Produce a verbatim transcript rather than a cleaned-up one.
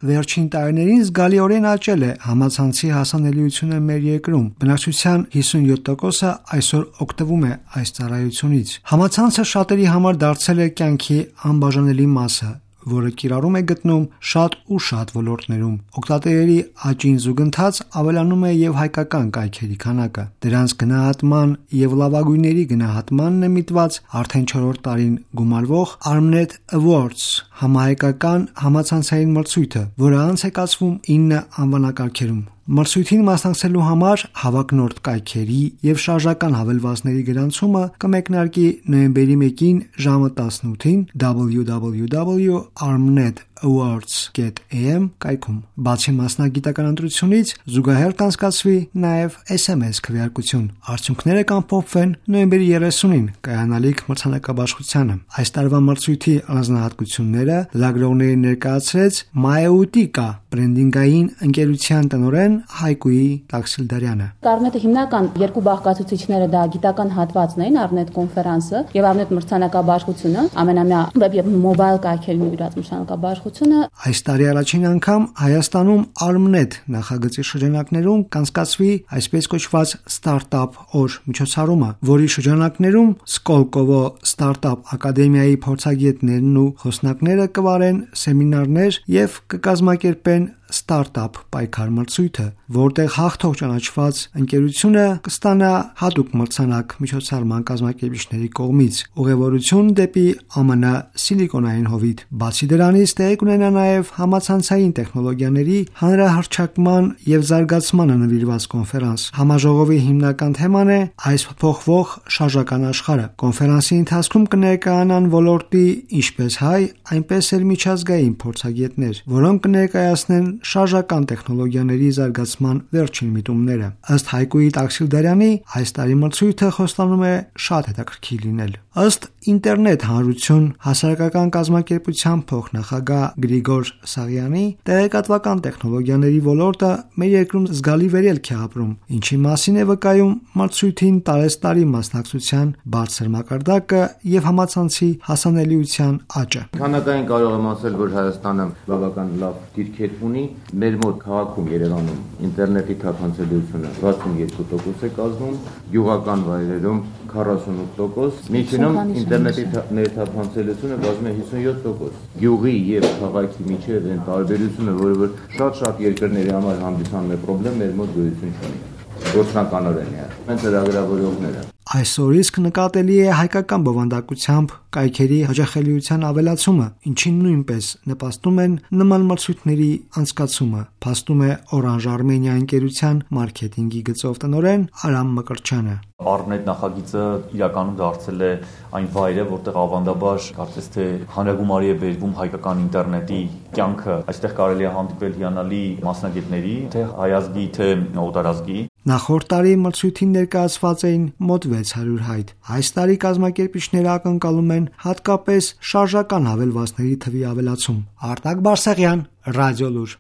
Վերջին տարիներին զգալիորեն աճել է համացանցի հասանելիությունը մեր երկրում։ Բնակչության հիսունյոթ տոկոսը այսօր օգտվում է այս ծառայությունից։ Համացանցը շատերի համար դարձել է կյանքի անբաժանելի մասը, որը կիրառում է գտնում շատ ու շատ ոլորտներում։ Օգտատերերի աճին զուգընթաց ավելանում է եւ հայկական կայքերի քանակը։ Դրանց գնահատման եւ լավագույնների գնահատմանն է միտված արդեն չորրորդ տարին գումարվող Armnet Awards համահայկական համացանցային մրցույթը, որը անց է կացվում ինը անվանակարգերում։ Մրցույթին մասնակցելու համար հավակնորդ կայքերի եւ շարժական հավելվածների գրանցումը կմեկնարկի նոյեմբերի մեկին ժամը տասնութին double-u double-u double-u dot armnet awards dot a m կայքում։ Բացի մասնագիտական ընտրությունից զուգահեռ կանցկացվի նաեւ S M S քվեարկություն։ Արդյունքները կամփոփվեն նոյեմբերի երեսունին կայանալիք մրցանակաբաշխությանը։ Այս տարվա մրցույթի առանձնահատկությունները լրագրողներին ներկայացրեց Mautica բրենդինգային ընկերության տնօրեն Հայկուի Տաքսիլդարյանը։ Armnet-ի հիմնական երկու բաղկացուցիչները դա գիտական հատվածն էին, Armnet կոնֆերանսը եւ Armnet մրցանակաբաշխությունը, ամենամյա վեբ եւ մոբայլ կայքերի նվիրված մրցանակաբաշխությունը։ Այս տարի առաջին անգամ Հայաստանում Armnet նախագծի շրջանակներում կանցկացվի այսպես կոչված Startup օր միջոցառումը, որի շրջանակներում Skolkovo Startup ակադեմիայի փորձագետներն ու խոսնակները կվարեն սեմինարներ եւ կկազմակերպեն Startup պայքար մրցույթը, որտեղ հաղթող ճանաչված ընկերությունը կստանա հատուկ մրցանակ միջոցառման կազմակերպիչների կողմից, ուղևորություն դեպի Ամերիկայի Սիլիկոնային հովիտ։ Բացի դրանից տեղի կունենա նաև համացանցային տեխնոլոգիաների հանրահռչակման եւ զարգացմանը նվիրված կոնֆերանս։ Համաժողովի հիմնական թեման է այս փոփոխվող շարժական աշխարհը։ Կոնֆերանսի ընթացքում կներկայանան ոլորտի ինչպես հայ, այնպես էլ միջազգային փորձագետներ, որոնք կներկայացնեն շարժական տեխնոլոգիաների զարգացման վերջին միտումները։ Ըստ Հայկուի Տաքսիլդարյանի, այս տարի մրցույթը խոստանում է շատ հետաքրքիր լինել։ Ըստ Ինտերնետ հանրություն հասարակական կազմակերպության փոխնախագահ Գրիգոր Սաղյանի, տեղեկատվական տեխնոլոգիաների ոլորտը մեր երկրում զգալի վերելք է ապրում, ինչի մասին է վկայում մրցույթին տարեստարի մասնակցության բարձր մակարդակը եւ համացանցի հասանելիության աճը։ Քանակային կարող եմ ասել, որ Հայաստանը բավական լավ դիրքեր ունի։ Մեր մոտ քաղաքում Երևանում ինտերնետի թափանցելիությունը վաթսունյոթ տոկոս է կազմում, գյուղական վայրերում քառասունութ տոկոս, միջինում ինտերնետի ներթափանցելիությունը կազմում է հիսունյոթ տոկոս։ Գյուղի եւ քաղաքի միջեւ այն տարբերությունը, որը որ շատ-շատ երկրների համար հանդիսանում է խնդրեմ, մեր մոտ գոյություն չունի։ Գործնականորեն է։ Մենք ծրագրավորողները Այսօր իսկ նկատելի է հայկական բովանդակությամբ կայքերի հաճախելիության ավելացումը, ինչին նույնպես նպաստում են նման մրցույթների անցկացումը, փաստում է Orange Armenia ընկերության մարքեթինգի գծով տնօրեն Արամ Մկրտչյանը։ Armnet նախագիծը իրականում դարձել է այն վայրը, որտեղ ավանդաբար կարծես թե հանրագումարի է բերվում հայկական ինտերնետի կյանքը։ Այստեղ կարելի է հանդիպել հիանալի մասնագետների, թե հայազգի, թե օտարազգի։ Նախորդ տարի մրցույթին ներկայացված էին մոտ վեց հարյուր հայտ։ Այս տարի կազմակերպիչները ակնկալում են հատկապես շարժական հավելվածների թվի ավելացում։ Արտակ Բարսեղյան, Ռադիոլուր։